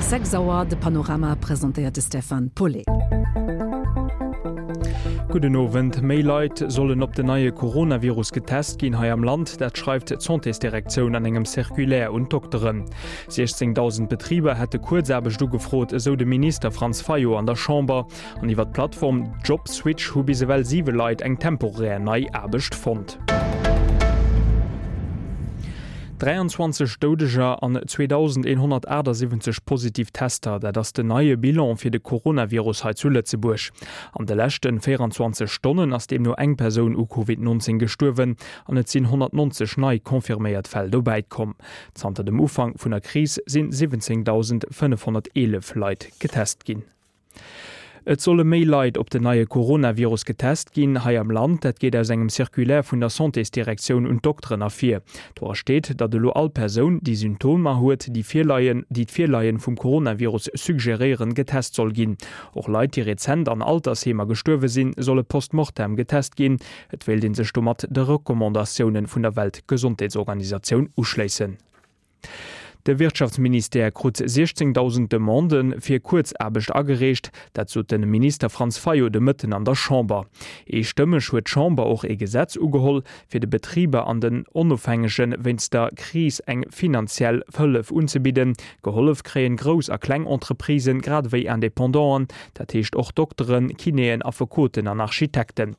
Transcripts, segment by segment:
6 Auer, de Panorama presentéiert de Stefan Paulet. Gudden Owend. Méi Leit sollen op den neie Coronavirus getest ginn hei am Land. Dat schreift d'Santésdirektioun an engem Circulaire un d'Dokteren. 16.000 Betriber hätte Kuerzaarbecht ugefrot, esou de Minister Franz Fayot an der Chamber. An iwwer d'Plattform Jobswitch hu bis ewell 7 Leit eng temporär nei Aarbecht fonnt. 23 Doudeger an 2.178 positiv Tester, dat ass den neie Bilan fir de Coronavirus hei zu Lëtzebuerg. An de leschte 24 Stonnen ass deemno eng Persoun u Covid 19 gestuerwen an et sinn 190 nei confirméiert Fäll dobäi komm. Zanter dem Ufank vun der Kris sinn 17.511 Leit getest ginn. Et solle méi Leit op den neie Coronavirus getest ginn hei am Land. Dat geet aus engem Circulaire vun der Santésdirektioun un d'Dokteren ervir. Dora steet, datt elo all Persoun, déi Symptomer huet, déi Virleien, déi d'Virleien vum Coronavirus suggeréieren, getest soll ginn. Och Leit, déi rezent an Altersheemer gestuerwe sinn, solle post mortem getest ginn. Et wéilt ee sech domat de Recommandatioune vun der Weltgesondheetsorganisatioun uschléissen. De Wirtschaftsministère krut 16.000 Demandë fir Kuerzaarbecht agereecht. Dat sot de Minister Franz Fayot de Mëtten an der Chamber. Eestëmmeg huet d'Chamber och ee Gesetz ugeholl, fir de Betriber an den Onofhängege wéinst der Kris eng finanziell Hëllef unzebidden. Gehollef kréien grouss a kleng Entreprisen, grad ewéi Independanten, dat heescht och Dokteren, Kinéen, Affekoten an Architekten.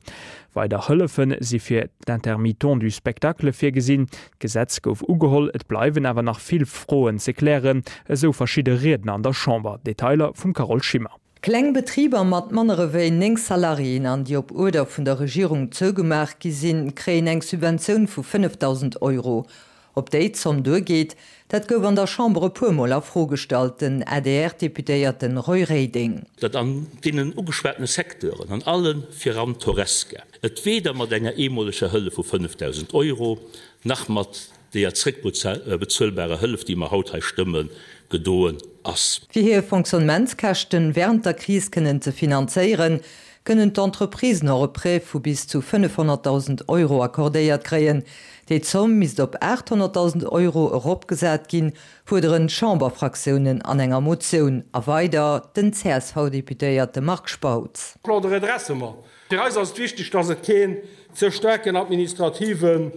Weider Hëllefe si fir d'Intermittents du spectacle virgesinn. D'Gesetz gouf ugeholl, et bleiwen awer nach vill Froen ze klären, esou verschidde Riedner an der Chamber. Detailer vum Carole Schimmer. Kleng Betriber mat manner ewéi 9 Salariéen an déi op Uerder vun der Regierung zougemaach gi sinn, kréien eng Subventioun vu 5.000 Euro. Ob déi Zomm duergeet, dat gouf an der Chamber e puer Mol a Fro gestallt, den ADR-Deputéierte Roy Reding. Datt an deenen ugeschwatene Secteuren, an alle viran d'Horesca, et weder mat enger eemoleger Hëllef vu 5.000 Euro nach mat deeër zréckbezuelbarer Hëllef, déi mer haut hei stëmmen, gedoen ass. Fir hir Fonctionnementskäschten wärend der Kris kënnen ze finanzéieren, kënnen d'Entreprisen och e Prêt vu bis zu 500.000 Euro accordéiert kréien. Déi Zomm misst op 800.000 Euro eropgesat ginn, fuerderen d'Chamberfraktiounen an enger Motioun a weider den CSV-Deputéierte Marc Spautz. Plan de redressement. Fir eis ass et wichteg, dass et keen ze staarken administrativen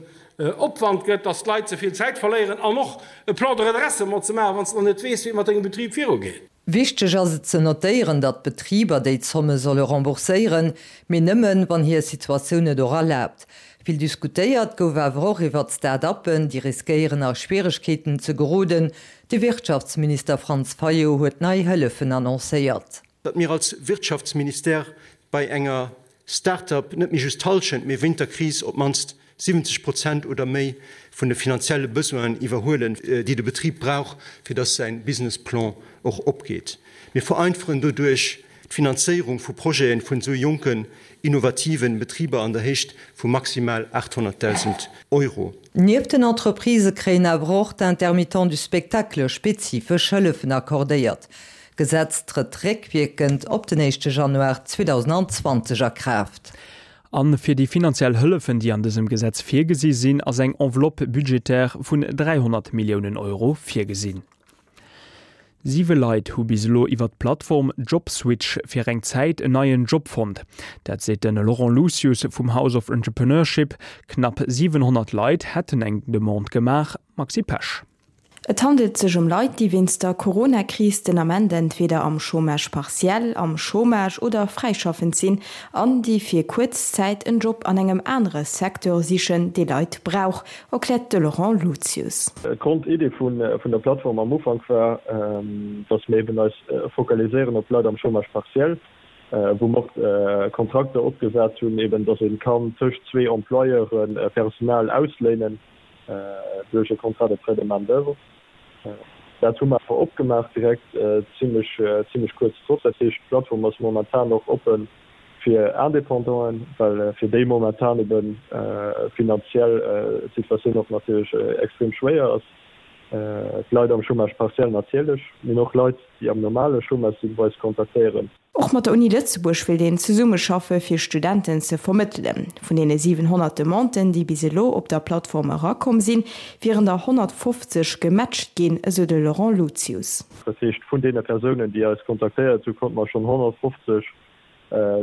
Opwand gëtt, dass d'Leit ze vill Zäit verléieren an och e Plan de redressement ze maachen, wann s de nach net weess, wéi et mat dengem Betrib virugeet. Wichteg ass et ze notéieren, datt d'Betriber déi Zomme solle rembourséieren, mee nëmmen, wann hir Situatioun et och erlaabt. Vill diskutéiert gouf awer och iwwert Start-uppen, déi riskéieren a Schwieregkeeten ze geroden. De Wirtschaftsminister Franz Fayot huet nei Hëllefen annoncéiert. Datt mir als Wirtschaftsministère bei enger Start-up net méi just d'Hallschent, mee wéint der Kris op d'mannst 70 Prozent oder méi vun de finanzielle Besoinen iwwerhuelen, déi de Betrib brauch, fir datt säi Businessplan och opgeet. Mir vereinfachen doduerch d'Finanzéierung vu Projete vun esou jonken, innovativen Betriber an der Héicht vu maximal 800.000 Euro. Nieft den Entreprisë kréien awer och d'Intermittents du spectacle spezifesch Hëllefen accordéiert. D'Gesetz trëtt réckwierkend op den éischte Januar 2020 a Kraaft. A fir déi finanziell Hëllefen, déi an dësem Gesetz virgesi sinn, ass eng Enveloppe budgétaire vun 300 Milliounen Euro virgesinn. Siwe Leit hu bis elo iwwer d'Plattform Jobswitch fir eng Zäit en neien Job fonnt. Dat seet de Laurent Lucius vum House of Entrepreneurship. Knapp 700 Leit hätten eng Demande gemaach. Maxi Pesch. Et handelt sech ëm Leit, déi wéinst der Corona-Kris den Ament entweder am Chômage partiel, am Chômage oder fräischaffend sinn an déi fir kuerz Zäit en Job an engem anere Secteur sichen, dee Leit brauch, erkläert de Laurent Lucius. D'Grondidee vun der Plattform am Ufank war, dass mir eben eis focaliséieren op Leit am Chômage partiel, wou mer och Kontrakter opgesat hunn, eben dass ee kann tëscht zwee Employeure Personal ausléinen. duerch e Contrat de prêt de main d'oeuvre. Dat hu mer awer opgemaach direkt zimlech, zimlech kuerz drop. Dat heescht, d'Plattform ass momentan och oppe fir Indépendanten, well fir déi momentan ebe finanziell d'Situatioun och natierlech extrem schwéier ass. D'Leit am Chômage partiel natierlech, mee och Leit, déi am normale Chômage sinn, wou eis kontaktéieren. Och mat der Uni Lëtzebuerg wéilt een zesummeschaffe fir Studenten ze vermëttelen. Vun deene 700 Demanden, déi bis elo op der Plattform erakomm sinn, wieren der 150 gematcht ginn, esou de Laurent Luzius. Dat heescht, vun deene Persounen, déi eis kontaktéiert hunn, konnte mer schonn 150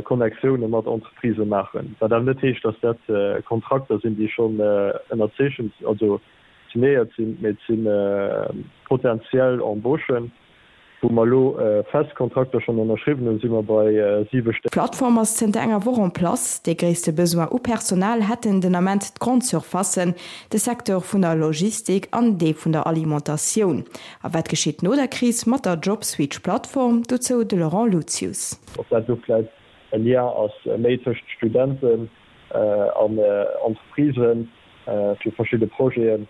Connectioune mat Entreprisë maachen. Wat awer net heescht, datt dat Kontrakter sinn, déi schonn ënnerzeechent, also signéiert sinn, mee et si potentiell Embauchen. Wou mer elo fest Kontrakter schonn ënnerschriwwen hunn, si mer bei 7 Stéck. D'Plattform ass zënter enger Woch en place. Dee gréisste Besoin u Personal hätten den Ament d'Grande-surfacen, de Secteur vun der Logistik an dee vun der Alimentatioun. A wat geschitt no der Kris mat der Jobswitch-Plattform? Dozou de Laurent Luzius. Ob dat elo vläit e Lien ass méi tëscht Studenten an Entreprisen fir verschidde Projeten,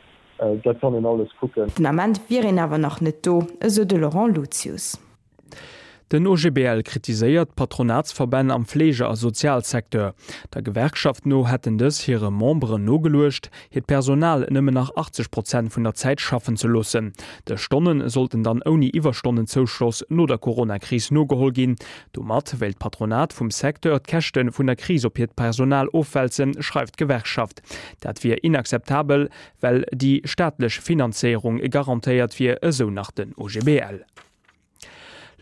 Dat kann een alles kucken. Den Ament wier een awer nach net do, esou de Laurent Luzius. Den OGBL kritiséiert d'Patronatsverbänn am Fleege a Sozialsecteur. Der Gewerkschaft no hätten dës hire Memberen nogeluecht, hiert Personal nëmmen nach 80 Prozent vun der Zäit schaffen ze loossen. Dës Stonne sollten dann ouni Iwwerstonnenzouschloss no der Corona-Kris nogeholl ginn. Domat wéilt d'Patronat vum Secteur d'Käschte vun der Kris op hiert Personal ofwälzen, schreift d'Gewerkschaft. Dat wier inakzeptabel, well déi staatlech Finanzéierung garantéiert wier, esou nach den OGBL.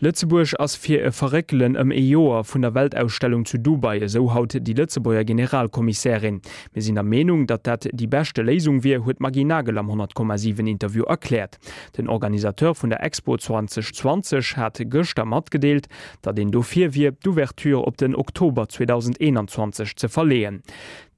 Lëtzebuerg ass fir e Verréckelen ëm ee Joer vun der Weltausstellung zu Dubai, esou haut déi Lëtzebuerger Generalkommissärin. Mir sinn der Meenung, datt dat déi beschte Léisung wier, huet d'Maggy Nagel am 100,7 Interview erkläert. Den Organisateur vun der Expo 2020 hat gëschter matgedeelt, datt een dofir wier, d'Ouverture op den Oktober 2021 ze verleeën.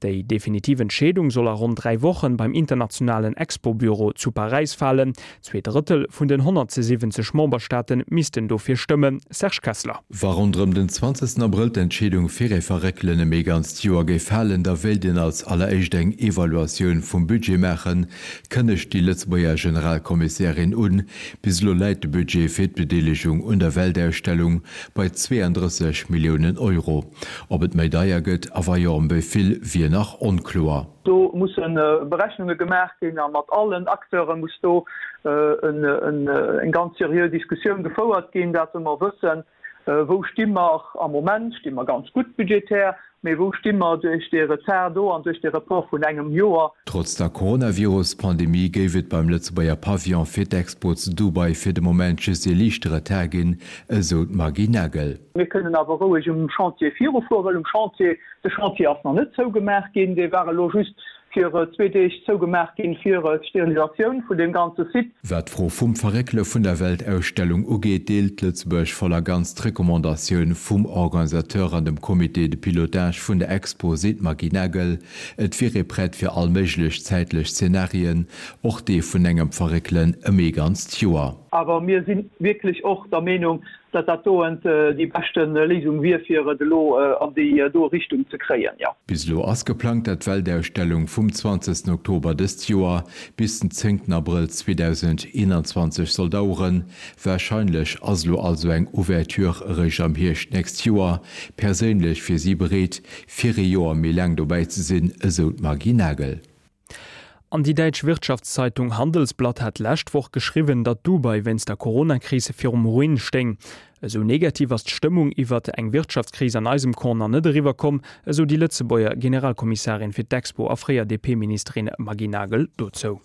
Déi definitiv Entscheedung soll a ronn 3 Wochen beim internationalen Expo-Büro zu Paräis falen. Zweedrëttel vun den 170 Memberstaate missten dofir stëmmen. Serge Kessler. Wa ronderëm den 20 Abrëll d'Entscheedung fir ee Verréckelen ëm ee ganzt Joer géif falen, da wéilt een als alleréischt eng Evaluatioun vum Budget maachen, kënnegt déi Lëtzebuerger Generalkommissärin un. Bis elo läit de Budget fir d'Bedeelegung un der Weltausstellung bei 32 Milliounen Euro. Ob et méi deier gëtt a wa jo ëm wéi vill, wier nach onkloer. Do musse Berechnunge gemaach ginn a mat allen Acteure muss do eng ganz seriö Diskussioun gefouert ginn, dat mer wëssen, wou sti mer am Moment. Sti mer ganz gutt budgetär, mee wou sti mer duerch dee Retard do an duerch dee Report vun engem Joer? Trotz der Coronavirus-Pandemie géif et beim Lëtzebuerger Pavillon fir d'Expo zu Dubai fir de Moment just ee liichte Retard ginn, esou d'Maggy Nagel. Mir kënnen awer roueg um Chantier virufueren, well um Chantier, de Chantier ass nach net zougemaach ginn, dee war elo just fir zwee Deeg zougemaach ginn fir d'Sterilisatioun vun deem ganze Site. Wat d'Fro vum Verréckele vun der Weltausstellung ugeet, deelt Lëtzebuerg voll a ganz d'Recommandatioun vum Organisateur an dem Comité de pilotage vun der Expo, seet d'Maggy Nagel. Et wier ee prett fir all méiglech zäitlech Zenarien, och dee vun engem Verréckelen ëm ee ganzt Joer. Awer mir si wierklech och der Meenung, datt dat doen déi beschte Léisung wier, fir et elo an déi doe Richtung ze kréien, jo. Bis elo ass geplangt, dat d'Weltausstellung vum 20 Oktober dëst Joer bis den 10 Abrëll 2021 soll daueren. Warscheinlech ass elo also eng Ouverture eréischt am Hierscht d'nächst Joer. Perséinlech wier si bereet, fir ee Joer méi laang dobäi ze sinn, esou d'Maggy Nagel. An déi däitsch Wirtschaftszeitung Handelsblatt hat d'lescht Woch geschriwwen, datt Dubai wéinst der Coronakris virum Ruin stéing. Esou negativ ass d'Stëmmung iwwert eng Wirtschaftskris an eisem Corner net eriwwer komm, esou déi Lëtzebuerger Generalkommissarin fir d'Expo a fréier DP-Ministerin Maggy Nagel dozou.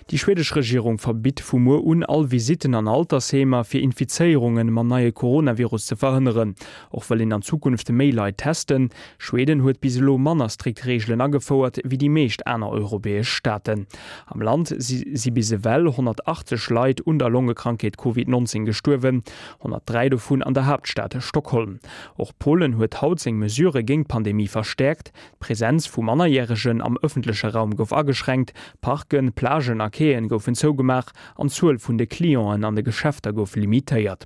Déi schwedesch Regierung verbitt vu muer un all Visitten an Altersheemer, fir Infizéierunge mam neie Coronavirus ze verhënneren. Och wëll een an Zukunft méi Leit testen. Schweden huet bis elo manner strikt Reegelen agefouert wéi déi meescht aner europäesch Staaten. Am Land si bis ewell 180 Leit un der Longekrankheet Covid 19 gestuerwen, 103 dovun an der Haaptstad Stockholm. Och Polen huet haut seng Mesurë géint d'Pandemie verstäerkt. D'Presenz vu Mannerjäregen am ëffentleche Raum gouf ageschränkt, Parken, Plagen a Quaien goufen zougemaach an d'Zuel vun de Clienten an de Geschäfter gouf limitéiert.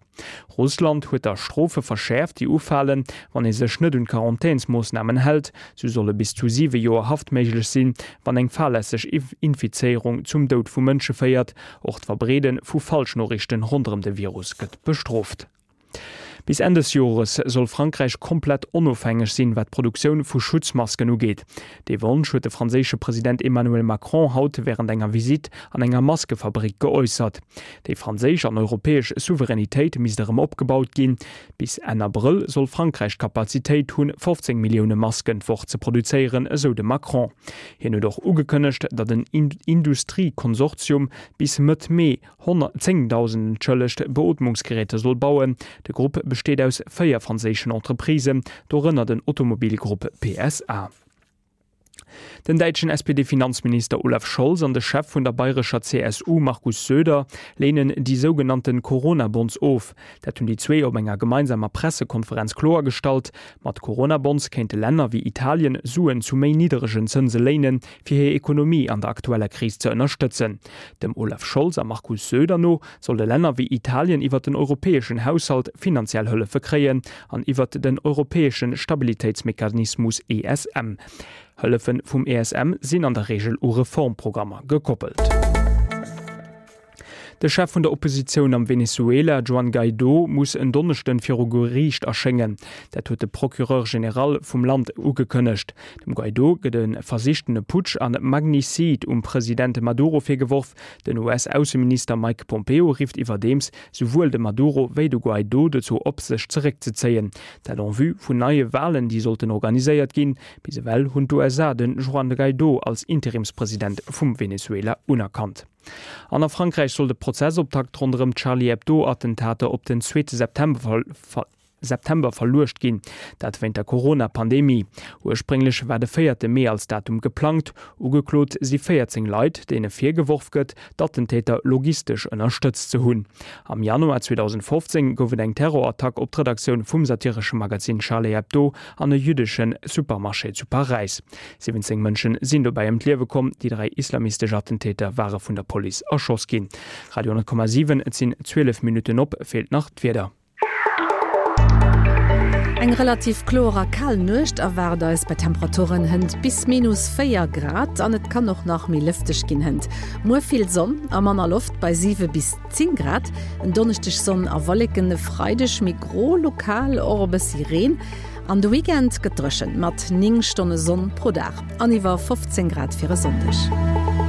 Russland huet da Strofe verschäerft, déi ufalen, wann ee sech net un d'Quarantänsmoossnamen hält. Sou solle bis zu 7 Joer Haft méiglech sinn, wann eng fahrlässeg Infizéierung zum Doud vu Mënsche féiert. Och d'Verbreede vu Falschnoriichten ronderëm de Virus gëtt bestrooft. Bis Enn des Jores soll Frankräich komplett onofhängeg sinn, wat d'Produktioun vu Schutzmasken ugeet. Dee Wonsch huet de franséische President Emmanuel Macron haut wärend enger Visitt an enger Maskefabrick geäussert. Déi franséisch an europäesch Souveränitéit misst erëm opgebaut ginn. Bis Enn Abrëll soll Frankräich d'Kapazitéit hunn, 15 Millioune Masken d'Woch ze produzéieren, esou de Macron. Hien huet och ugekënnegt, datt en Industriekonsortium bis Mëtt Mee 10.000, entschëllegt, Beootmungsgeräter soll bauen. De Grupp besteet aus 4 franséischen Entreprisen, dorënner den Automobilgrupp PSA. Den däitschen SPD-Finanzminister Olaf Scholz an de Chef vun der bayrescher CSU Markus Söder léinen déi sougenannte Corona-Bonds of. Dat hunn déi zwee op enger gemeinsamer Pressekonferenz kloergestallt. Mat Corona-Bonds kéinte Länner wéi Italien Suen zu méi nidderegen Zënse léinen, fir hir Ekonomie an der aktueller Kris ze ënnerstëtzen. Dem Olaf Scholz a Markus Söder no solle Länner wéi Italien iwwer den europäeschen Haushalt finanziell Hëllefe kréien an iwwer den europäesche Stabilitéitsmechanismus ESM. Hëllefe vum ESM sinn an der Reegel u Reformprogrammer gekoppelt. De Chef vun der Oppositioun am Venezuela, Juan Guaidó, muss en Donneschden viru Geriicht erschéngen. Dat huet de Procureur général vum Land ugekënnegt. Dem Guaidó gëtt e versichtene Putsch an Magnicide um President Maduro virgeworf. Den US-Ausseminister Mike Pompeo rifft iwwerdeems souwuel de Maduro wéi de Guaidó dozou op, sech zeréckzezéien. Dat en vue vun neie Walen, déi sollten organiséiert ginn. Bis ewell hunn d'USA de Juan Guaidó als Interimspresident vum Venezuela unerkannt. An a Frankräich soll de Prozessoptakt ronderëm d'Charlie Hebdo-Attentater op den zweete September September verluecht ginn, dat wéint der Corona-Pandemie. Ursprénglech war de véierte Mee als Datum geplangt. Ugeklot si 14 Leit, deene virgeworf gëtt, d'Attentäter logistesch ënnerstëtzt ze hunn. Am Januar 2015 gouf et eng Terrorattack op d'Redaktioun vum satiresche Magazin Charlie Hebdo an e jüddesche Supermarché zu Paräis. 17 Mënschen sinn dobäi ëm d'Liewe komm, déi 3 islamistesch Attentäter ware vun der Police erschoss ginn. Radio 10,7 Et sinn 12 Minutten op, feelt nach d'Wieder. Eng relativ kloer a kal Nuecht erwaart eis bei Temperaturen hënt bis minus 4 Grad an et kann och nach méi lëfteg ginn hënt. Muer vill Sonn a manner Loft bei 7 bis 10 Grad. En Donneschdeg Sonn a Wolleken, e Freideg méi gro, lokal och e bëssi Reen. An de Weekend gëtt dréchen, mat 9 Stonne Sonn pro Dag an iwwer 15 Grad fir e Sonndeg.